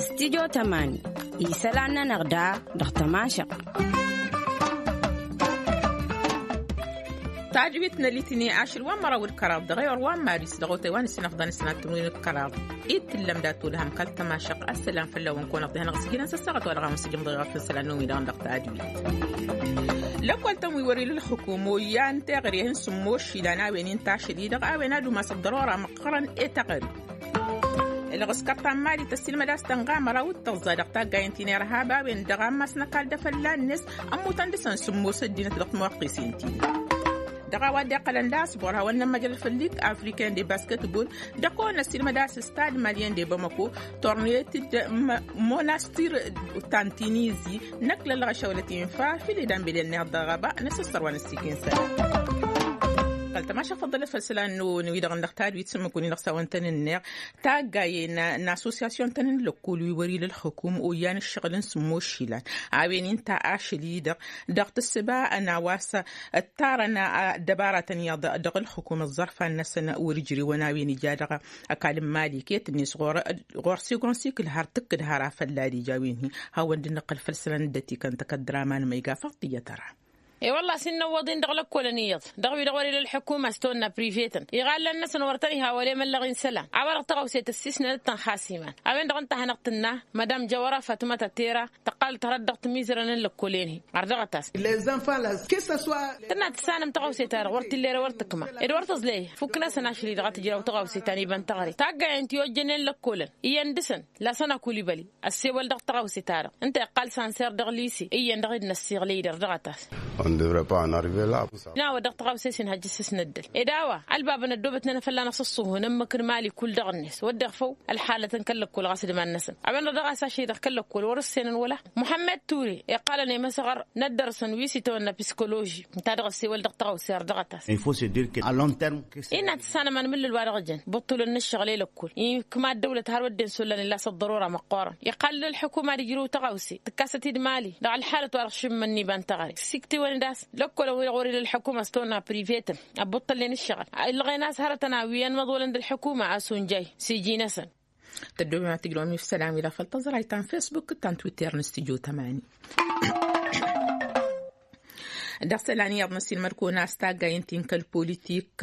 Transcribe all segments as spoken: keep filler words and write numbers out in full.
Studyo tămani isălan-nănăɣ da dăɣ-tămašăɣ. Tajwit n-alitini ašăl wa n-măraw d-kăraḍ dăɣ-ewăr wa n-maris dăɣ-otay wa n-sinăɣdan s-nătmăwin d-kăraḍ. Ittǝllăm dat-olăhăm kăl-tămašăɣ ăssălam fălla-wăn kăwănăɣ d-ehănăɣ s-jilăn s-ăssaɣăt wa dăɣ-amǝsǝjăm dăɣ-eɣăf n-isălan n-wi-dăɣ dăɣ-tajwit. Lăkkol-tăn wi wăr-ila ălxǝkum oyyan teɣăre hin-sǝmmos išilan a-wen inta ašăl-i-dăɣ a-wen ad-umas ăḍḍărora măqqărăn i-teɣăre. Ǝlɣǝskăr ta n-mali tăssiilmăd a-s tănɣa măraw d-tăẓẓa dăɣ-taggayen ti n-irhab a-wen-dăɣ ammas n-ăkall d-afălla-net. Ămmutăn dăɣ-săn sǝmmos ăddinăt dăɣ-timwaqqisen ti-dăɣ. Dăɣ-a-wa dd-iqqălăn d-aspor hawăn-nămmăjrăd făll-lig africain de basketbol. Dăɣ-kăwăn-năssiilmăd a-s stad malien de bamăko tornet-dd monastir ta n-tinizi. Năkk lălɣăšăwlăt infa fil-idan beden-neɣ dăɣ-aba n-asǝssăr wa n-ăssikin săla. Kăl-tămašăɣ făḍḍălăt făll-isălan n-wi-dăɣ n-dăɣ tadwit s-ǝmmǝk-win-dăɣ s-a-wăn tăn-ǝnneɣ taggayen n-assosyasyon-tăn n-lăkkol wi wăr-ila ălxǝkum oyyan ǝššăɣǝl n-sǝmmos išilan a-wen inta ašăl-i-dăɣ. Dăɣ-tǝssǝba n-a-wa s-ǝttarăn ăddăbaratăn iyyăḍ dăɣ-ǝlxǝkum ăẓẓărfan-năsăn wăr-ǝjrewăn a-wen ija dăɣ-ăkall n-mali iket-net ɣur-sigon sikǝl har tǝkkǝd har afălla d-ija a-wen-hi. Hawăn-dd-nǝqqǝl făll-isălan dd-ătikăn tăkăddăr aman ma iga făḍ tiyyăt ăra. E-wălla a-s innăwwăḍ-in dăɣ-lăkkolăn iyyăḍ dăɣ-wi-dăɣ wăr-ila ălḥukuma s-tawănna privetăn iɣallăn-năsăn wăr tăn-iha wăla emăllăɣ-in isălan a-wa-dăɣ tăɣawse tăssisnănăt tăn-xas iman. A-wen-dăɣ ǝnta a hanăɣ-tǝnna madam jăwăra fatmăt atera tăqqalăt hărăt dăɣ-timiẓrăn n-lăkkol-en-hi. Ărdăɣăt-as. Tǝnna tǝssanăm tăɣawse-ta-dăɣ wăr t-illa eră wăr tǝkma ed wăr tǝẓlăy. Fukk-năsăn ašăl-i-dăɣ a tǝjraw tăɣawse ta n-iba n-teɣăre taggayen ti ojjănen lăkkolăn iyyăn dăɣ-săn. Lasăn akulibăli ăssewăl dăɣ-tăɣawse-ta-dăɣ ǝnta iqqal sanser dăɣ-lise iyyăn dăɣ-dd-năssiɣlăy-dd ărdăɣăt-as. N-a-wa dăɣ-tăɣawse-s inhăjj s-s năddăl ed a-wa ălbabăn ăddoobătnen afălla n-asǝṣṣuhu n-ǝmmǝk n-mali kull dăɣ-net wădden făw. Ălxalăt n-kăl-lăkkol ɣas d-iman-năsăn a-wen-dăɣ dăɣ-a-s ašăl-i-dăɣ kăl-lăkkol wăr-ǝssenăn wăla muḥămmed ture iqqalăn i-măsăɣăr n-ăddărăsăn wi s-itawănna piskoloži ǝnta dăɣ-ăssewăl dăɣ-tăɣawse ărdăɣăt-as. Innă tǝssanăm anmǝllǝl wa dăɣ-jăn băṭṭulăn n-ǝššăɣǝl i-lăkkol ikma ăddăwlăt har wădden s-ollan illa s-ăḍḍărora măqqoorăn iqqal ălḥukuma ad-ijrǝw tăɣawse tǝkkasăt-dd mali dăɣ-ălxalăt wa dăɣ-šǝmmǝn n-iba n-teɣăre. Siktǝwăn-dd a-s lăkkol a-wen-dăɣ wăr-ila ălḥukuma s-tawănna privetăn ăbbuṭṭălnen ǝššăɣǝl ǝlɣen a-s hărătăn a-wi ănmăḍwălăn d-ălḥukuma a-s unjay s-iji-năsăn. Tăddoobem ad-tǝjrăwăm ifsălan wi la făl tăẓrayt ta n-fesbuk d-ta n-twitter n-studyo tămani. Dăɣ-isălan iyyăḍ n-ăssiilmăd kăwăn-as taggayen ti n-kăl-politik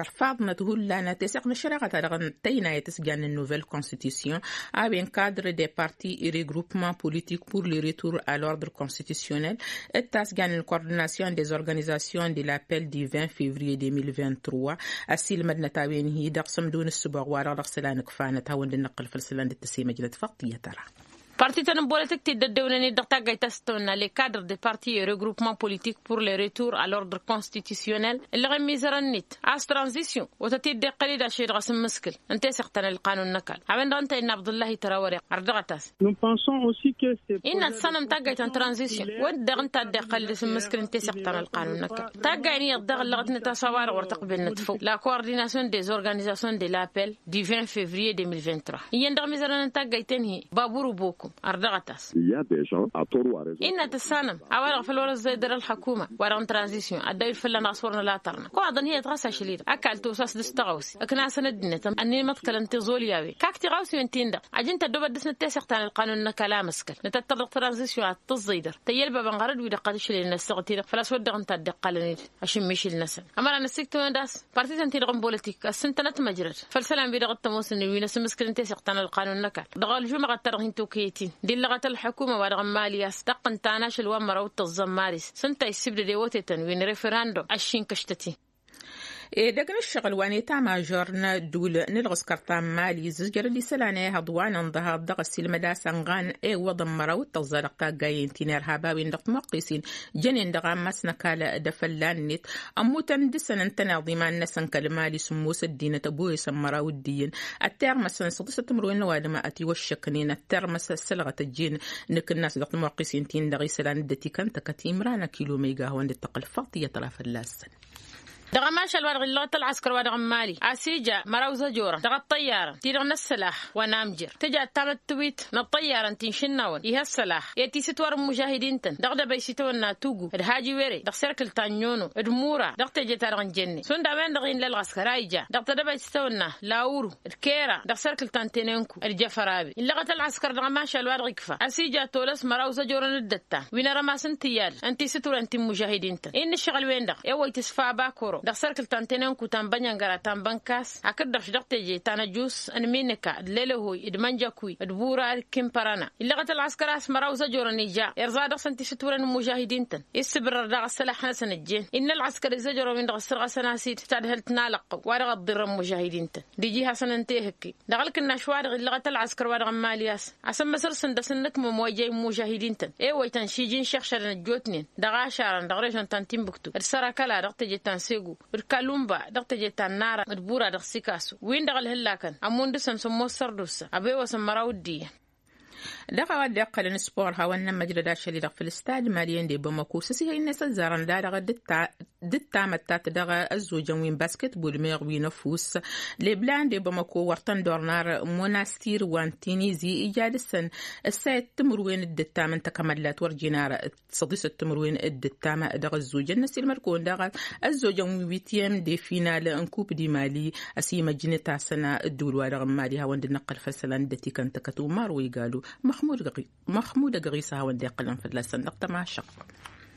ărfaḍnăt hullan teseɣt n-ăššăreɣăt-a-dăɣ tăynayăt s-jan n-nouvelle constitution a-wen cadre des partis et regroupements politiques pour le retour à l'ordre constitutionnel d-ta s-jan n-coordination des organisations de l'appel du vingt février deux mille vingt-trois. Ăssiilmădnăt a-wen-hi dăɣ-sămdo n-ǝssǝboɣ wa-dăɣ dăɣ-isălan ǝkfanăt hawăn-dd-năqqǝl făll-isălan dd-tăsemăjnăt făḍ tiyyăt ăra. Parti-tăn n-bolăt ǝkti dd-ăddewnen-dd dăɣ-taggayt ta s-tăwănna les cadres des partis et regroupements politiques pour le retour à l'ordre constitutionnel. Ǝllăɣ imizărăn-net a-s tranzisyon otăt-dd-iqqăl-dd ašăl-i-dăɣ asǝmmǝskǝl n-teseɣt ta n-ălqanun n-ăkall a-wen-dăɣ ǝnta innă abdullahi tărawăre ărdăɣăt-as. Innă tǝssanăm taggayt ta n-tranzisyon wădden ǝnta a dd-iqqăl d-asǝmmǝskǝl n-teseɣt ta n-ălqanun n-ăkall. Taggayen iyyăḍ daɣ ǝllăɣătnăt a-s a-wa-dăɣ wăr tăqbelnăt făw la coordination des organisations de l'appel du vingt février deux mille vingt-trois. Iyyăn dăɣ-mizărăn n-taggayt-en-hi baburu bokum ărdăɣăt-as. Innă tǝssanăm a-wa-dăɣ făl wăr-ăzzăy dăr-ălxăkuma wa-dăɣ n-tranzisyon ăddăwit fălla-năɣ a-s wăr năla tărna. Kăwăḍăn hi-ătɣăs ašăl-i-dăɣ ăkall tosas dăɣ-s tăɣawse ǝknasăn ăddinăt ănnin măḍkălăn tiẓolyawen. Kak tiɣawsiwen-tin-dăɣ ajăn tăddoobăt dăr-snăt teseɣt ta n-ălqanun n-ăkall amǝskăl nǝtăttăr dăɣ-tranzisyon ad-tǝẓẓăy dăr-tăyyălbabăn ɣărăd-wi-dăɣ qad ǝšlăyăn ăssaɣăt-i-dăɣ făl-a-s wădden ǝnta a dd-iqqălăn-dd ašǝmmišǝl-năsăn. Ămăra năssiktǝwăn-dd a-s parti-tăn-ti-dăɣ n-bolătik ăssintănăt măjrăd făll-isălan-wi-dăɣ t-ămoosnen wi n-asǝmmǝskǝl n-teseɣt ta n-ălqanun n-ăkall dăɣ-ălžumăɣăt-ta-dăɣ hin-tokăyăt-in d-illăɣăt ălḥukuma wa dăɣ-n mali a-s taqqǝnt ta n-ašăl wa n-măraw d-tăẓẓa n-maris s-ǝnta a issǝbdăd i-wătetăn wi n-referandum ăššinkăštăt-in. Edăgg n-ǝššăɣǝl wa n-eta mažor n-ădduul n-ǝlɣǝskăr ta n-mali zǝjjărăd isălan ehăḍ wa n-ănḍăhăḍ dăɣ-ăssiilmăd a-s ănɣan ewăḍăn măraw d-tăẓẓa dăɣ-taggayen ti n-irhab a-wen-dăɣ timăqqesin jănen dăɣ-ammas n-ăkall d-afălla-net. Ămmutăn dăɣ-săn ǝntăneḍ iman-năsăn kăl-mali sǝmmos ăddinăt ăboyăsăn măraw d-iyyăn ăttirmăsăn săḍisăt timǝrwen n-ăwadǝm ătiwăššăknen ăttirmăs ăssălɣăt ăjjeen. Nǝkǝnnas dăɣ-timăqqesin-tin-dăɣ isălan dd-ătikăn tăkăt imran ăkilo ma iga hawăn-dd-tăqqǝl faḍt iyyăt ra fălla-săn. Dăɣ-ămašal wa-dăɣ illăɣăt ălɣăskăr-wa-dăɣ n-mali a-s ija măraw zăjorăn dăɣ-ăṭṭăyyarăn ti-dăɣ n-ăssălax wa n-amjăr tǝja ăttamăttăwit n-ăṭṭăyyarăn ti n-išǝnnawăn ih' ăssălax i-ad-t-iss itwăr n-imužahidin-tăn dăɣ-dăbăy s-itawănna tugu d-haji were dăɣ-serkǝl ta n-inono d-mura dăɣ-teje-ta-dăɣ n-jenne šund a-wen-dăɣ inla ălɣăskăr a ija dăɣ-tedăbăy s-itawănna lawru d-kera dăɣ-serkǝl ta n-tenenku d-jăfărabe illăɣăt ălɣăskăr dăɣ-ămašal wa-dăɣ ikfa a-s ija tolăs măraw zăjorăn d-ăttan wi n-arămas n-tiyyadăn ǝnta isǝturăn ti n-imužahidin-tăn i n-ǝššăɣǝl-wen-dăɣ i-wăyt s-fa bakoro dăɣ-serkǝl ta n-tenenku ta n-bănyăngăra ta n-bănkas hakd-dăɣ-š dăɣ-teje ta n-ăjus n-minǝka d-lelăhoy d-mănjăkwi d-bura d-kimpărăna illăɣăt ălɣăskăr a-s măraw zăjorăn ija irẓa dăɣ-săn ti s-ǝturăn n-imužahidin-tăn i-ǝssǝbrăr daɣ ăssălax-năsăn ǝjjen innă ălɣăskăr izăjrăw-in-dăɣ ǝssărɣăsăn-as-dd tadhǝlt n-alăqqăw wa dăɣ-ăḍḍirrăn imužahidin-tăn d-iji hasăn-ǝnta i-hǝkki dăɣ-ălkǝnnaš-wa-dăɣ illăɣăt ălɣăskăr-wa-dăɣ n-mali a-s asǝmmăsăr-săn dăɣ-săn n-ǝkmăm wa ija immužahidin-tăn i-wăytăn šiji n-išăɣšădăn ăjjootnen dăɣ-ašarăn dăɣ-režon ta n-timbuktu d-sărăkăla dăɣ-teje ta n-segu d-kalumba dăɣ-teje ta n-nara d-bura dăɣ-sikasu win-dăɣ ălhǝllakăn ămmun dăɣ-săn sămmos sărdusa ăbewăsăn măraw d-iyyăn. Dăɣ-a-wa dd-iqqălăn spor hawăn-nămmăj d-ašăl-i-dăɣ făll-stad maliyen de bamako s-asihăy-net ăzzarăn da-dăɣ d-ǝttamăttat dăɣ-ăzzojăn wi n-basketbol meɣ wi n-ăfuss leblan de bamako wăr tăn-dornar monastir wa n-tinizi ija dăɣ-săn ăssayăt timǝrwen d-ǝttam n-takămăllat wăr jin ara săḍisăt timǝrwen d-ǝttam dăɣ-ăzzojăn n-ăsilmăd-kăwăn daɣ ăzzojăn wi n-witiyăm de final n-kup di mali ăsimăjnet asăn ădduul-wa-dăɣ n-mali hawăn-dd-năqqăl făll-isălan dd-ătikăn tăkăt umar wa igalu. Măxmud ăgɣisa hawăn-dd-iqqăl ănfălla-săn dăɣ-tămašăɣt.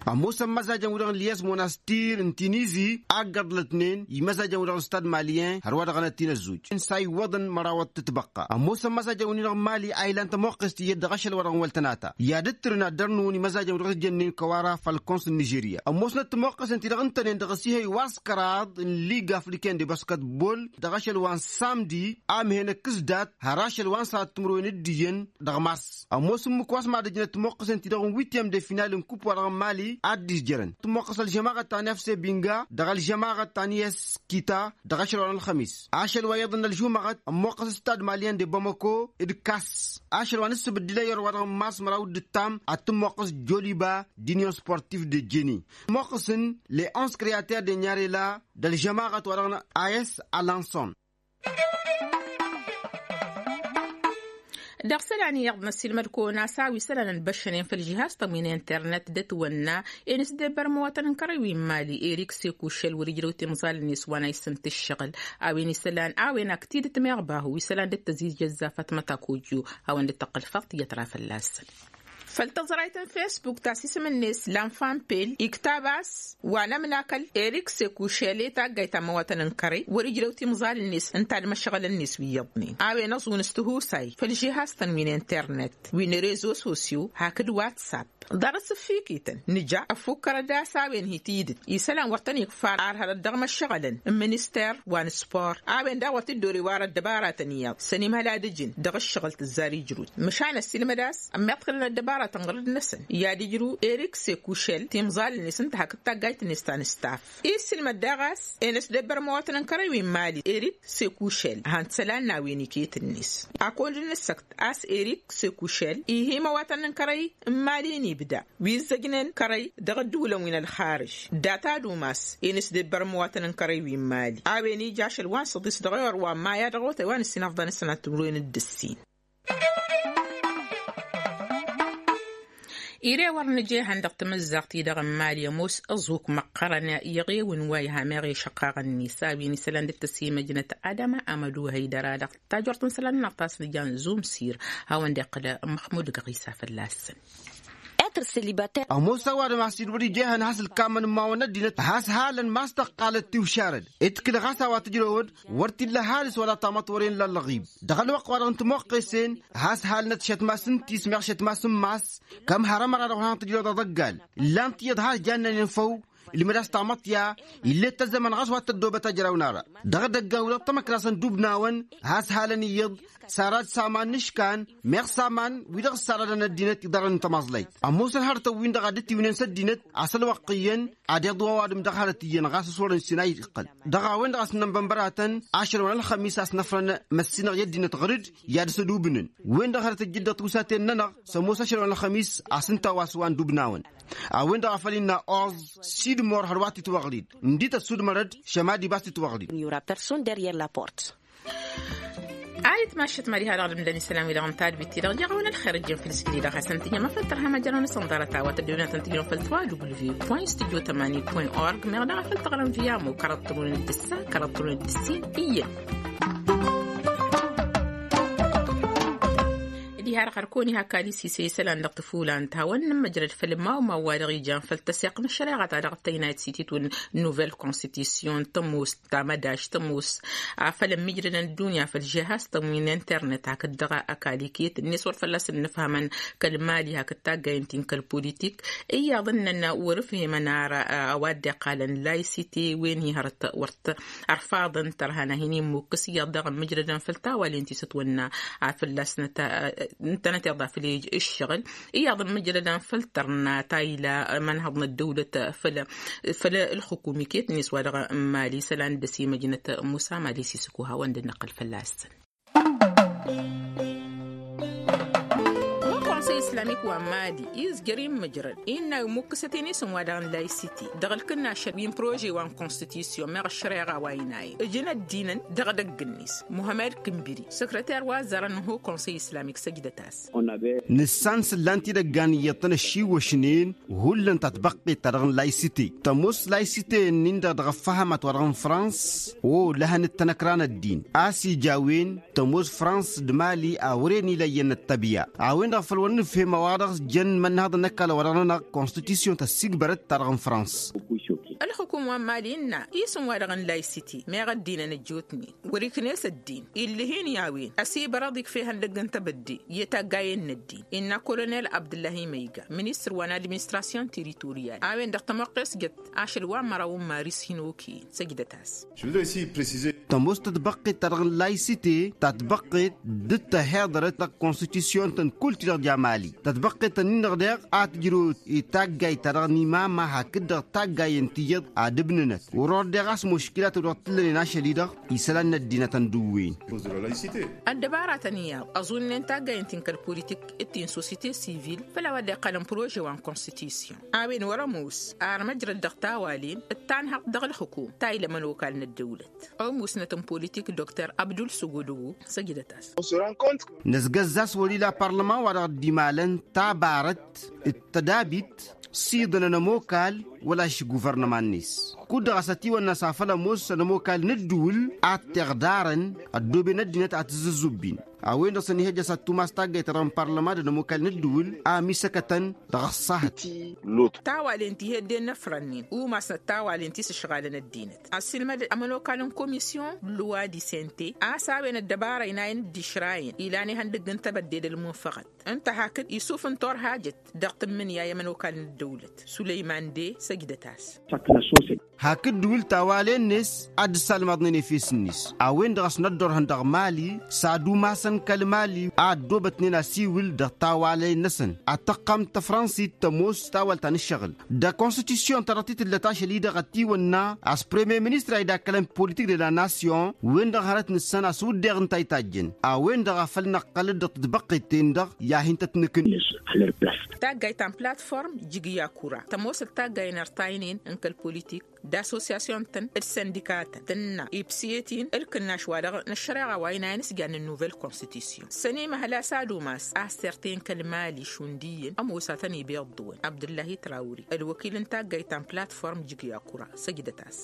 Ămoosăn măzajăn-wi-dăɣ n-ilyas monastir n-tinizi a ǝggăḍlătnen imăzajăn-wi-dăɣ n-stad maliyen hărwa-dăɣ n-ăttin ăzzuj n-sa iwwăḍăn mărawăt tǝtbăqqa ămoosăn măzajăn-wi-dăɣ n-mali a ilan tămoqqest iyyăt dăɣ-ašăl-wa-dăɣ n-wăl tănata i-ad-ǝttǝrǝn ad-dărnǝwăn imăzajăn-wi-dăɣ s-jănnen kăwara făll-kons n-nižerya ămoosnăt tămoqqăsen ti-dăɣ ǝntănen dăɣ-asihăy wa s-kăraḍ n-liga afriken de basketbol dăɣ-ašăl wa n-samdi a mǝhen ăkkǝs dat har ašăl wa n-sărat timǝrwen d-iyyăn dăɣ-mars. Ămoos ǝmmǝk wa s-mad-ǝjnăt tămoqqăsen ti dăɣ-n witiyăm de final n-kup-wa-dăɣ n-mali ad-dd-izjărăn tămoqqăs ălžămaɣăt ta n-efse binga dăɣ-ălžămaɣăt ta n-iyyăs kita dăɣ-ašăl wa n-ălxămis. Ašăl wa iyyăḍ n-ălžumăɣăt ămmoqqăs stad maliyen de bamako d-kas. Ašăl wa n-ǝssǝbǝddǝlăy ărwa dăɣ-n mars măraw d-ǝttam ad-t-ămmoqqăs joliba d-inyon sportif de jeni. Ămmoqqăsăn les onze creater de nyarela d-ălžămaɣăt wa dăɣ-n a s alanson. Dăɣ-isălan iyyăḍ n-ăssiilmăd-kăwăn a-s a-wa isălan ănbăššănen făll-žihaz-tăn wi n-internet d-ătwănna i-nǝsdebăr imăwatăn n-kărăy wi n-mali erik sekušel wăr-ijrăw timẓal-net wa n-a issǝnt ǝššăɣǝl. A-wen isălan a-wen ak tidǝt meɣ bahu isălan dd-tăzijăzza fatmăt akojo hawăn-dd-tăqqǝl faḍt iyyăt ra fălla-săn. Făll-tăẓrayt n-fesbuk ta s-isǝm-net lanfampel iktab a-s wa n-ămnakăl erik sekušel i-taggayt ta n-imăwatăn n-kărăy wăr-ijrăw timẓal-net ǝnta d-imăšɣălăn-net wi iyyăḍnen a-wen ăẓun s-tihusay făll-žihaz-tăn wi n-internet wi n-rezo sosyo hakd whatsapp. Ḍarăt s-ǝffikităn nǝja ăffukkărăd a-s a-wen hi-tidǝt isălan wăr tăn-ikfa ar hărăt dăɣ-imăšɣălăn n-minister wa n-spor a-wen daɣ wăr t-dd-ori warăt dăbaratăn iyyăḍ s-ănimhăl ad-ǝjǝn dăɣ-ǝššăɣǝl tǝzzar ijrut. Măšan ăssiilmăd a-s ămmiḍkălăn ăddăbaratăn ɣur-dd-năsăn i-ad-ijru erik sekušel timẓal-net ǝnta hakd taggayt-net ta n-staff. Isǝlmăd daɣ a-s enăsdăbbăr imăwatăn n-kărăy wi n-mali erik sekušel han t-isălan n-a-wen iket-net. Akăwăn-dd-nǝssăkt a-s erik sekušel ih' imăwatăn n-kărăy n-mali n-ibda wi ǝzzăjnen kărăy dăɣ-ădduulăn wi n-ălxarǝž. Data d-umas enăsdăbbăr imăwatăn n-kărăy wi n-mali a-wen ija ašăl wa n-săḍis dăɣ-ewăr wa n-maya dăɣ-otay wa n-ǝssin afḍăn s-sănat timǝrwen d-ǝssin. Ire wăr nǝja ehăn dăɣ-tamǝzzaɣt-i-dăɣ n-mali ămoos ăẓuk măqqărăn iɣewǝn wa iha meɣ i-išăqqaɣăn-net a-wen isălan dd-tăsimăjnăt adama amădu hăydăra dăɣ-tajort n-isălan-nănăɣ ta s-nǝja n-zumsir. Hawăn-dd-iqqǝl măxmud găɣisa fălla-săn. Ămoos ăwadǝm a-s dd-wăr-ija ehăn has-ǝlkamăn n-imawăn n-ăddinăt has-halăn ma s-tăqqalăt tiwšarăd. Ǝtkǝl ɣas a-wa tǝjrăwăd wăr t-illa ăhalǝs wăla tamăḍt wăren la ălɣib. Dăɣ-ălwăqq-wa-dăɣ n-timoqqesen has-halnăt šătmas n-tismeɣ šătmas n-mass. Kăm har ămăra-dăɣ wăr hanăɣ-tǝjrăwăd aḍăggal ǝllan tiyyăḍ har jannen infăw. Ǝlmǝd-as tamăḍt ya ill'-e d tăzzăman ɣas wa t-ăddoobăt ajraw n-ara. Dăɣ-edăggan-wi-dăɣ tămăkra-săn dub n-awăn has-halăn iyyăḍ. Sarad s-aman n-iškan meɣ s-aman wi-dăɣ ǝssarădăn ăddinăt iḍarrăn n-tămaẓlayt. Ămoosăn hărătăn-win-dăɣ a dd-tiwǝnen s-ăddinăt a-s ălwăqq iyyăn ad-iḍwa ăwadǝm dăɣ-hărăt iyyăn ɣas s-wărăn s-inay iqqăl. Dăɣ-a-wen-dăɣ a-s n-ănbănbăratăn ašăl wa n-ălxămis a-s năfrăn măssinăɣ i-ăddinăt ɣǝr-dd i-ad-sădubǝnăn. Wen-dăɣ hărăt ǝjjǝd dăɣ-tiwsaten-nănăɣ s-ămoos ašăl wa n-ălxămis a-s ǝnta a-wa s-wa n-dub n-awăn. A-wen-dăɣ a făl innă oẓ sidmor hărwa t-itwăɣlid, ǝndităt sudmărăd šămadi ba s-titwăɣlid. Personne derrière la porte. Ad-itmašăt ma diha-dăɣ d-ǝmdăn isălan-wi-dăɣ n-tadbit-ti-dăɣ jaɣ-wen ălxer ǝjjăn făll-isgǝli-dăɣ hasăn-tǝjjăm afăl tărha măjrăwăn s-ănḍarăt a-wa tăddewnen ad-tăn-tǝjrăwăn făll-twa w point studio tămanin point org meɣ daɣ afăl tăɣrăm via mokărăt tămrun d-ǝssa kărăt tămrun d-ǝssin iyyăn. Diha-dăɣ hărkăwăn iha kalisise isălan dăɣ-tăfulant hawăn-nămmăjrăd făll-mawmaw wa dăɣ-ijan făll-tăseɣt n-ăššăreɣa ta dăɣ-tăynayt s-ititwǝl n-nouvelle constitution tămoos tamădaš tămoos. Afăl ămmijrădăn ăddunya făll-žehaz tămwin internet hakd dăɣ-ăkall iket-net wăr fălla-s ǝnnǝfhămăn kăl-mali hakd taggayen-tin kăl-politik. Iyyăḍ ǝnnăn wăr-ǝfhemăn ara a-wa dd-iqqalăn laysite wen hi-hărăt wăr t-ărfaḍăn tărha n-ad-hin-immukǝs iyyăḍ daɣ ămmijrădăn făll-tawalen ti s-ătwănna a fălla-s ǝntănăteḍ afăl ǝššăɣǝl. Iyyăḍ ămmijrădăn făll-tărna ta ila ămănhăḍ n-ăddăwlăt făll-ălxukum iket-net wa dăɣ-mali isălan dd-ăsimăjnăt musa mali s-isǝkuha wa n-dd-năqqăl fălla-săn. Wa konsăy islamik wa n-mali izjăr-in mǝjrăd innă imukkǝsăt-en isǝm wa dăɣ-n laysite dăɣ-ǝlkǝnnašăl wi n-prože wa n-konstitisyon meɣ ăššăreɣa wa inayen ǝjǝn ăddinăn dăɣ-edăgg-net. Muhămmed kǝnbiri săkrăter wa ăzzarăn n-ho konsăy islamik săjdăt-as. Nǝssan s-ǝllan tidăgga n-iyyăḍ tăn-ăššiwwăšnen hullan ta tbăqqet ta dăɣ-n laysite tămoos laysite-nin-dăɣ dăɣ-ăffăhămat wa dăɣ-n frans. O lăhăn d-tanăkra n-ăddin a-s ija a-wen tămoos frans d-mali a wăren ila iyyăn n-ăttăbya a-wen-dăɣ făl wăr nǝfhem a-wa dăɣ-s jăn imănnăhăḍ n-ăkall a-wa dăɣ-nănăɣ konstitisyon tăssigbărăt ta dăɣ-n frans. Ălxukum wa n-mali ǝnna isǝm wa dăɣ-n laysite meɣ ăddinăn ăjjootnen wăr-iknes ăddin illăh-in i-a-wen ăsibărăḍ ikfa ihăndăgg n-tebădde i-taggayen n-ăddin. Innă kolonel abdǝllahi măyga ministăr wa n-administrasyon teritoriyal a-wen-dăɣ tămoqqes jăt ašăl wa n-măraw n-maris hin-okăyăn săjdăt-as. Tămoos tătbăqqet ta dăɣ-n laysite tătbăqqet dd-tăhiḍărăt dăɣ-konstitisyon-tăn kull-ti-dăɣ ja mali tătbăqqet-tăn-in-dăɣ deɣ a tǝjrăwăt i-taggayt ta dăɣ-n imama hakd-dăɣ taggayen ti iyyăḍ ad-ǝbnǝnăt wăr-ordeɣ a-s muškilatăt wa t-ǝllănen ašăl-i-dăɣ isălan n-ăddinăt ăndǝwwen. Ăddăbaratăn iyyăḍ ăẓunnen taggayen-tin kăl-politik d-ti n-sosite sivil făll-a-wa dd-iqqălăn prože wa n-konstitisyon a-wen wăr-ămoos ar măjrăd dăɣ-tawalen d-tanhăḍt dăɣ-ălxǝkum ta ila ămănokal n-ăddăwlăt. Ămusnăt n-politik dr abdul săgodogo săjdăt-as. Năzgăzz a-s wăr-ila parlăman wa dăɣ-dd-imalăn tabarăt d-tădabit s-iḍǝnăn ămokal wăla-š guvărnăma-net. Kud-dăɣ a-s ătiwănna a-s afăl ămoosăn ămokal n-ǝddǝwǝl ad-t-iɣdarăn ăddooben ăddinăt ad-t-ǝzzǝzzǝbbin. A-wen-dăɣ săn ihăjja s-ad-tumas taggayt ta dăɣ-n parlăma d-ămokal n-ǝddǝwǝl a ămisăkătăn dăɣ-ăṣṣahăt. Tawalen ti hedden n-ăfrănnen umasnăt tawalen ti s-ǝšɣalăn ăddinăt ăssiilmăd ămănokal n-komisyon luwa disente a-s a-wen ăddăbara inayen d-išrayăn ilan ihăndăgg n-tebădde d-ălmunfăɣăt ǝnta hakd isuf n-turhajăt dăɣ-tǝmmǝnǝya i-ămănokal n-ăddăwlăt sulăyman de săjdăt-as. Hakd ǝddǝwǝl tawalen-net ad-dd-salmăḍnen efes-net a-wen-dăɣ a-s năddorhăn dăɣ-mali s-ad-umasăn kăl-mali a ăddoobătnen asiwǝl dăɣ-tawalen-năsăn ad-tăqqam tăfrănsit tămoos tawăl ta n-ǝššăɣǝl. Dăɣ-konstitisyon ta dăɣ-t-tǝllăt ašăl-i-dăɣ ătiwănna a-s premiyer ministăr a idakălăn politik de la nasyon wen-dăɣ hărăt nǝssăn a-s wǝddeɣ ǝnta a itajjăn a-wen-dăɣ a făl năqqălăt dăɣ-tǝtbăqqet-ten-dăɣ i-ad-hin-tăt-nǝkǝn. Taggayt ta n-platform jǝgǝy akura tămoosăt taggayen ărtaynen n-kăl-politik d-assosyasyon-tăn d-sindika-tăn tǝnna ibsǝyăt-in ǝlkǝnnaš-wa-dăɣ n-ăššăreɣa wa inayăn s-jannen nouvelle constitution săn imăhăl a-s ad-umas a-s tertăyăn kăl-mali šund iyyăn ămoos ad-tăn-iba iḍḍǝwăn abdǝllahi trawri ălwăkil n-taggayt ta n-platform jǝgǝy akura săjdăt-as.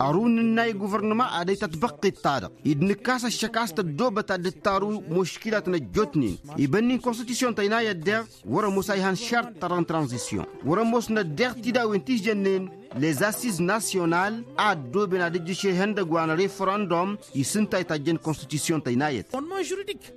Ărun ǝnna i-guvărnăma ad-ăytăt băqqet-ta-dăɣ id-nǝkkas ăššăk a-s tăddoobăt ad-dd-taru muškilat n-ăjjootnen ibănnin konstitisyon tăynayăt deɣ wăr-ămoos a ihăn šart ta dăɣ-n tranzisyon wăr-ămoosnăt deɣ tidawen ti s-jănnen lez-assiz nasyonal a ăddooben ad-ǝjjǝš ihăndăg wa n-referendum i-s ǝnta a itajjăn konstitisyon tăynayăt.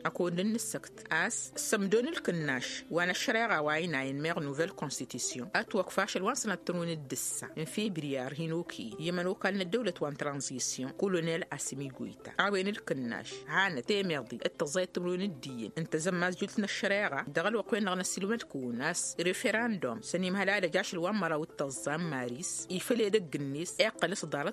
Ăkăwăd n-nǝssăkt a-s sămdon ǝlkǝnnaš wa n-ăššăreɣa wa inayăn meɣ nouvelle constitution ătwăkf ašăl wa n-sănăt tărun d-ǝssa n-febriyar hin-okăyăn i-ămănokal n-ăddăwlăt wa n-tranzisyon kolonel asimi goyta a-wen ǝlkǝnnaš hanăt temeḍi d-tăẓẓayăt tărun d-iyyăn n-tăzămmazjult n-ăššăreɣa dăɣ-ălwăqq-wen-dăɣ n-ăssiilmăd-kăwăn a-s referendum săn imhăl ad-ăj ašăl wa n-măraw d-tăẓẓa n-maris ifăl edăgg-net iqqăl s-ḍarăt.